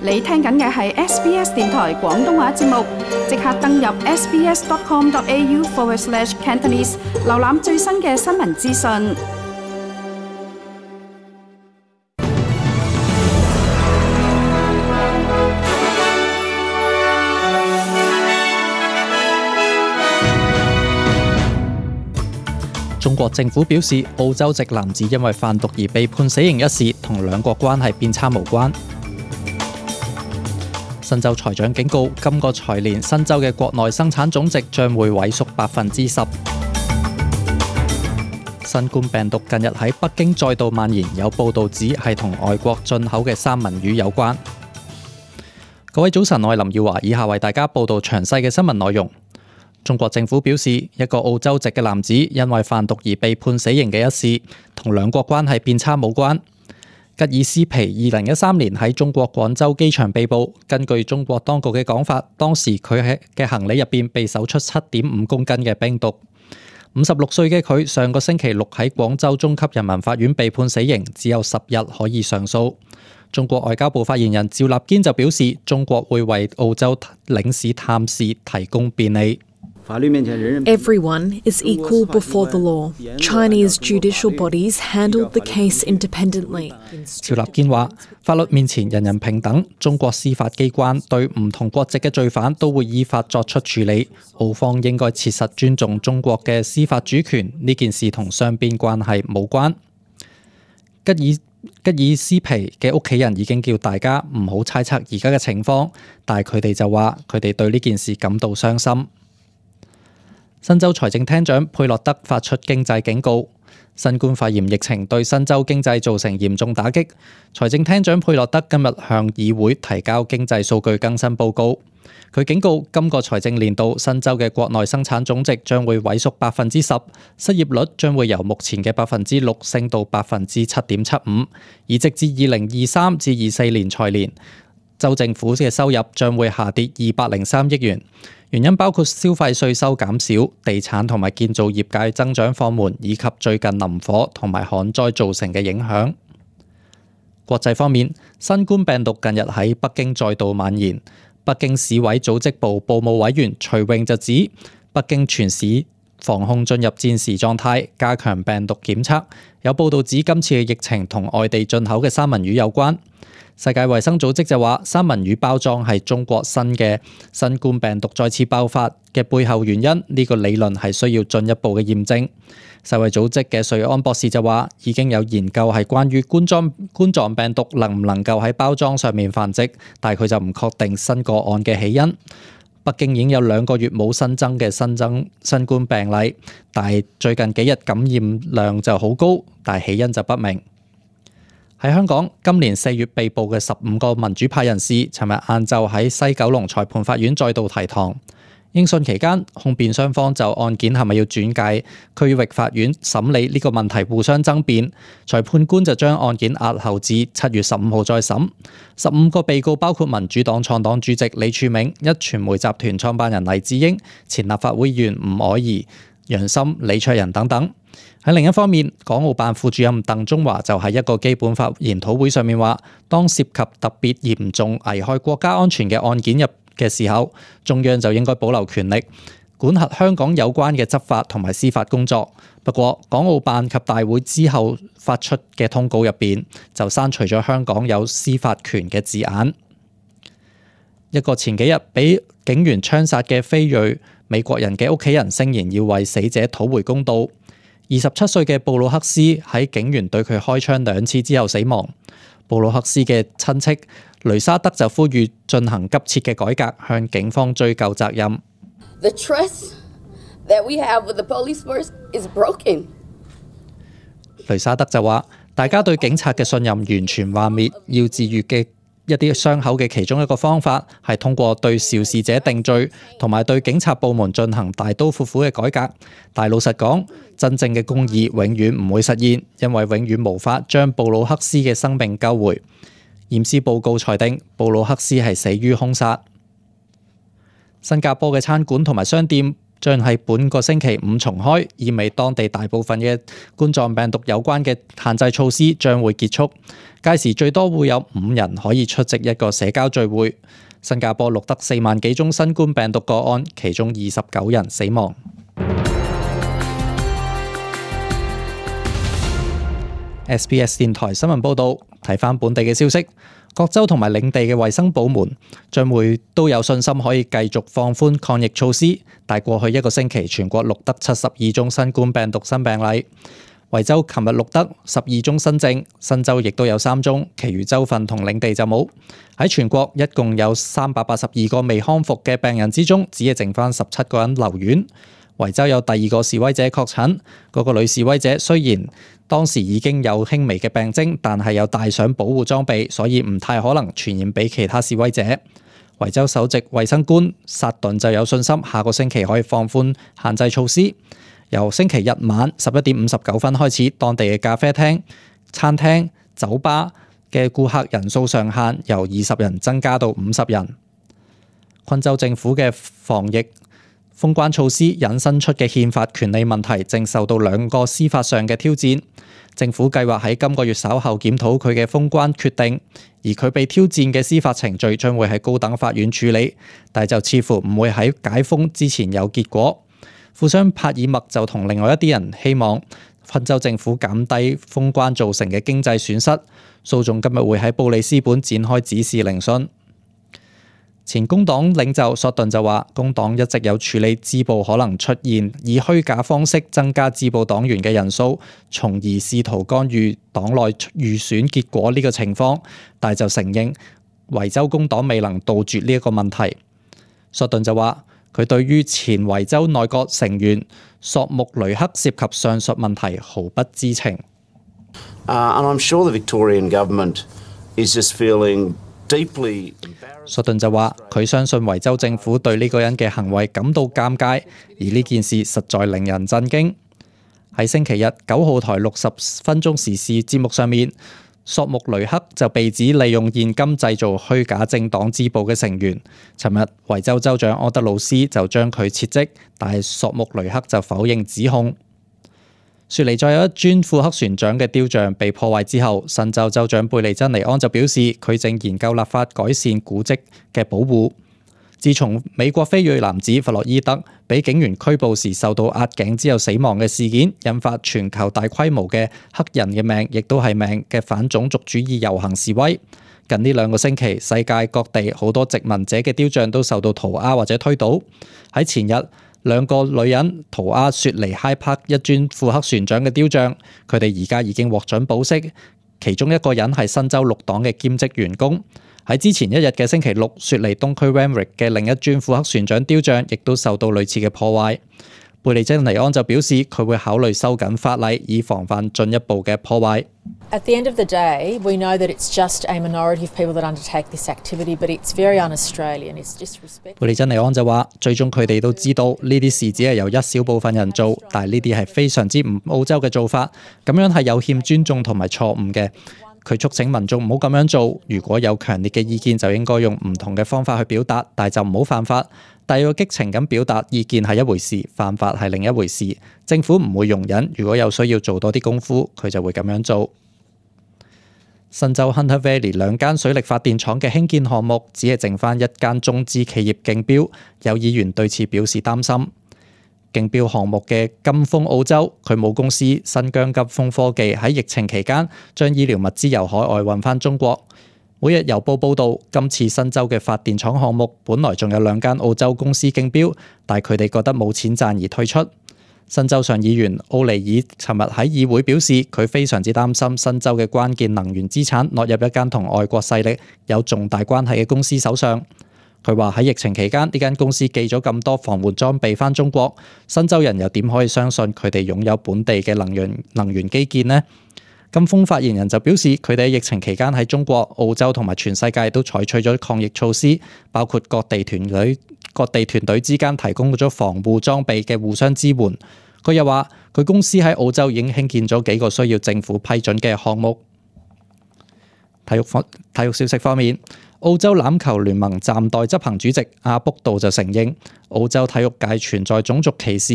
你聽緊嘅係 SBS 電台廣東話節目，即刻登入 sbs.com.au/Cantonese 瀏覽最新嘅新聞資訊。中國政府表示，澳洲籍男子因為販毒而被判死刑一事，同兩國關係變差無關。新州財長警告，今個財年新州嘅國內生產總值將會萎縮10%。新冠病毒近日喺北京再度蔓延，有報道指係同外國進口嘅三文魚有關。各位早晨，我係林耀華，以下為大家報道詳細嘅新聞內容。中國政府表示，一個澳洲籍嘅男子因為販毒而被判死刑嘅一事，同兩國關係變差無關。吉爾斯皮2013年喺中國廣州機場被捕，根據中國當局嘅講法，當時佢嘅行李入邊被搜出7.5公斤嘅冰毒。56歲嘅佢上個星期六喺廣州中級人民法院被判死刑，只有10日可以上訴。中國外交部發言人趙立堅就表示，中國會為澳洲領事探視提供便利。Everyone is equal before the law. Chinese judicial bodies handled the case independently. 趙立堅話：法律面前人人平等，中國司法機關對唔同國籍嘅罪犯都會依法作出處理。澳方應該切實尊重中國嘅司法主權，呢件事同雙邊關係無關。吉爾斯皮嘅屋企人已經叫大家唔好猜測而家嘅情況，但係佢哋就話佢哋對呢件事感到傷心。新州財政廳長佩洛德發出經濟警告，新冠肺炎疫情對新州經濟造成嚴重打擊。財政廳長佩洛德今日向議會提交經濟數據更新報告，佢警告今個財政年度新州嘅國內生產總值將會萎縮10%，失業率將會由目前嘅6%升到7.75%，而直至2023至24年財年，州政府嘅收入將會下跌203億元。原因包括消費稅收減少、地產同埋建造業界增長放緩，以及最近林火同埋旱災造成嘅影響。國際方面，新冠病毒近日喺北京再度蔓延。北京市委組織部部務委員徐穎就指，北京全市防控進入戰時狀態，加強病毒檢測。有報道指今次嘅疫情同外地進口嘅三文魚有關。世界衛生組織就話，三文魚包裝係中國新冠病毒再次爆發嘅背後原因，呢個理論係需要進一步嘅驗證。世衛組織嘅瑞安博士就話，已經有研究係關於冠狀病毒能唔能夠喺包裝上面繁殖，但係佢就唔確定新個案嘅起因。北京已經有2個月冇新增新冠病例，但係最近幾日感染量就好高，但係起因就不明。喺香港，今年4月被捕嘅15個民主派人士，尋日晏晝喺西九龍裁判法院再度提堂。應訊期間，控辯雙方就案件係咪要轉介區域法院審理呢個問題互相爭辯。裁判官就將案件押後至7月15號再審。15個被告包括民主黨創黨主席李柱銘、壹傳媒集團創辦人黎智英、前立法會議員吳靄儀、楊森、李卓人等等。喺另一方面，港澳辦副主任鄧中華就喺一個基本法研討會上面話，當涉及特別嚴重危害國家安全嘅案件入嘅時候，中央就應該保留權力，管轄香港有關嘅執法同埋司法工作。不過，港澳辦及大會之後發出嘅通告入邊就刪除咗香港有司法權嘅字眼。一個前幾日俾警員槍殺嘅非裔美國人嘅屋企人聲言要為死者討回公道。27歲嘅布魯克斯喺警員對佢開槍2次之後死亡。布魯克斯嘅親戚雷沙德就呼籲進行急切嘅改革，向警方追究責任。The trust that we have with the police force is broken. 雷沙德就話：大家對警察嘅信任完全幻滅，要治癒嘅一啲傷口嘅其中一個方法係通過對肇事者定罪，同埋對警察部門進行大刀闊斧嘅改革。但老實講，真正嘅公義永遠唔會實現，因為永遠無法將布魯克斯嘅生命救回。驗屍報告裁定，布魯克斯係死於兇殺。新加坡嘅餐館同埋商店將喺本個星期五重開，意味當地大部分嘅冠狀病毒有關嘅限制措施將會結束。屆時最多會有5人可以出席一個社交聚會。新加坡錄得4萬幾宗新冠病毒個案，其中29人死亡。SBS 電台新聞報導，睇返本地嘅消息，各州同埋領地嘅衛生部門將會都有信心可以繼續放寬抗疫措施，但過去一個星期全國錄得72宗新冠病毒新病例。維州琴日錄得12宗新症，新州亦都有3宗，其餘州份同領地就冇。喺全國一共有382個未康復嘅病人之中，只係剩返17個人留院。維州有第2個示威者確診，嗰個女示威者雖然當時已經有輕微嘅病徵，但係有戴上保護裝備，所以唔太可能傳染俾其他示威者。維州首席衛生官薩頓就有信心，下個星期可以放寬限制措施。由星期日晚11點59分開始，當地嘅咖啡廳、餐廳、酒吧嘅顧客人數上限由20人增加到50人。昆州政府嘅防疫封關措施引申出嘅憲法權利問題，正受到2個司法上嘅挑戰。政府計劃喺今個月稍後檢討佢嘅封關決定，而佢被挑戰嘅司法程序將會喺高等法院處理，但就似乎唔會喺解封之前有結果。富商帕爾默就同另外一啲人希望昆州政府減低封關造成嘅經濟損失。訴訟今日會喺布里斯本展開指示聆訊。前工黨領袖索頓就話，工黨一直有處理支部可能出現以虛假方式增加支部黨員嘅人數，從而試圖干預黨內預選結果呢個情況，但就承認維州工黨未能杜絕呢一個問題。索頓就話，佢對於前維州內閣成員索穆雷克涉及上述問題毫不知情。And I'm sure the Victorian government is just feeling deeply embarrassed. 索頓就話，佢相信維州政府對呢個人嘅行為感到尷尬，而呢件事實在令人震驚。喺星期日9號台60分鐘時事節目上面，索穆雷克就被指利用現金製造虛假政黨支部嘅成員。尋日維州州長安德魯斯就將佢撤職，但係索穆雷克就否認指控。雪梨再有一尊庫克船長嘅雕像被破壞之後，新州州長貝利珍尼安就表示，佢正研究立法改善古蹟嘅保護。自從美國非裔男子弗洛伊德被警員拘捕時受到壓頸之後死亡嘅事件，引發全球大規模嘅黑人嘅命亦都係命嘅反種族主義遊行示威。近呢2個星期，世界各地好多殖民者嘅雕像都受到塗鴉或者推倒。喺前日，2個女人塗鴉雪梨 Hyde Park 一尊庫克船長嘅雕像，佢哋而家已經獲准保釋，其中一個人係新州綠黨嘅兼職員工。喺之前一日嘅星期六，雪梨東區 Randwick 嘅另一尊庫克船長雕像亦都受到類似嘅破壞。貝利珍尼安就表示，佢會考慮收緊法例，以防範進一步嘅破壞。At the end of the day, we know that it's just a minority of people that undertake this activity, but it's very un-Australian. It's disrespectful. 貝利珍尼安就話，最終佢哋都知道呢啲事只係由一小部分人做，但係呢啲係非常之唔澳洲嘅做法，咁樣係有欠尊重同埋錯誤嘅。佢促請民眾唔好咁樣做，如果有強烈嘅意見就應該用唔同嘅方法去表達，但係就唔好犯法。但要激情咁表達意見係一回事，犯法係另一回事。政府唔會容忍，如果有需要做多啲功夫，佢就會咁樣做。新州 Hunter Valley 2間水力發電廠嘅興建項目只係剩返1間中資企業競標，有議員對此表示擔心。競標項目嘅金豐澳洲，佢母公司新疆金豐科技喺疫情期間將醫療物資由海外運返中國。每日郵報報導，今次新州嘅發電廠項目本來仲有2間澳洲公司競標，但佢哋覺得冇錢賺而退出。新州上議員奧尼爾尋日喺議會表示，佢非常之擔心新州嘅關鍵能源資產落入一間同外國勢力有重大關係嘅公司手上。佢話喺疫情期間，呢間公司寄咗咁多防護裝備返中國，新州人又點可以相信佢哋擁有本地嘅能源基建呢？金豐發言人就表示，佢哋喺疫情期間喺中國、澳洲同埋全世界都採取咗抗疫措施，包括各地團隊之間提供咗防護裝備嘅互相支援。佢又話，佢公司喺澳洲已經興建咗幾個需要政府批准嘅項目。體育消息方面，澳洲欖球聯盟暫代執行主席阿卜杜就承認澳洲體育界存在種族歧視。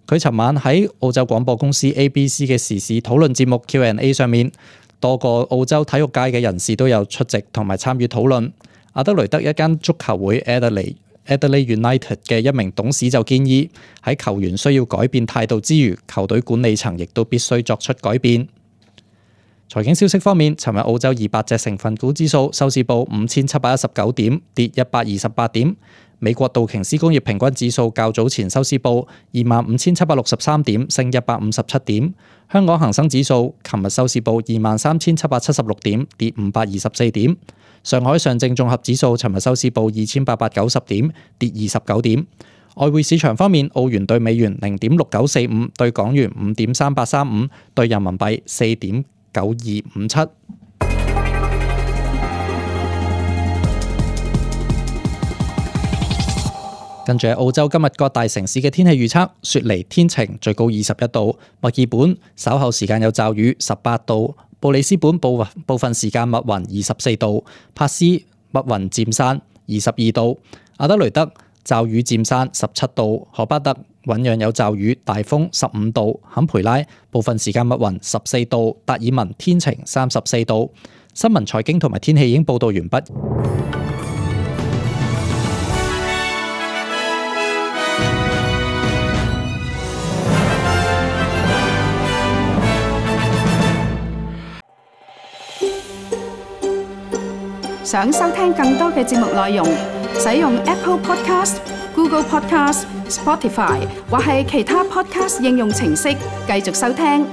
佢尋晚喺澳洲廣播公司 ABC 嘅時事討論節目 Q&A 上面，多個澳洲體育界嘅人士都有出席同埋參與討論。阿德雷德一間足球會 Adelaide United 嘅一名董事就建議喺球員需要改變態度之餘，球隊管理層亦都必須作出改變。財經消息方面，尋日澳洲200隻成分股指數收市報5719點，跌128點。美國道瓊斯工業平均指數較早前收市報25,763點，升157點。香港恒生指數琴日收市報23,776點，跌524點。上海上證綜合指數尋日收市報2890點，跌29點。外匯市場方面，澳元對美元0.6945，對港元5.3835，對人民幣4.9257。跟住澳洲今日各大城市嘅天氣預測：雪梨天晴，最高21度；墨爾本稍後時間有驟雨，18度；布里斯本部分時間密雲，24度；珀斯密雲漸散，22度；阿德雷德驟雨漸散，17度；荷巴特醞釀有驟雨，大風，15度；坎培拉部分時間密雲，14度；達爾文天晴，34度。新聞財經同埋天氣已經報道完畢。想收聽更多嘅節目內容，使用 Apple Podcast、Google Podcast、Spotify 或係其他 Podcast 應用程式繼續收聽。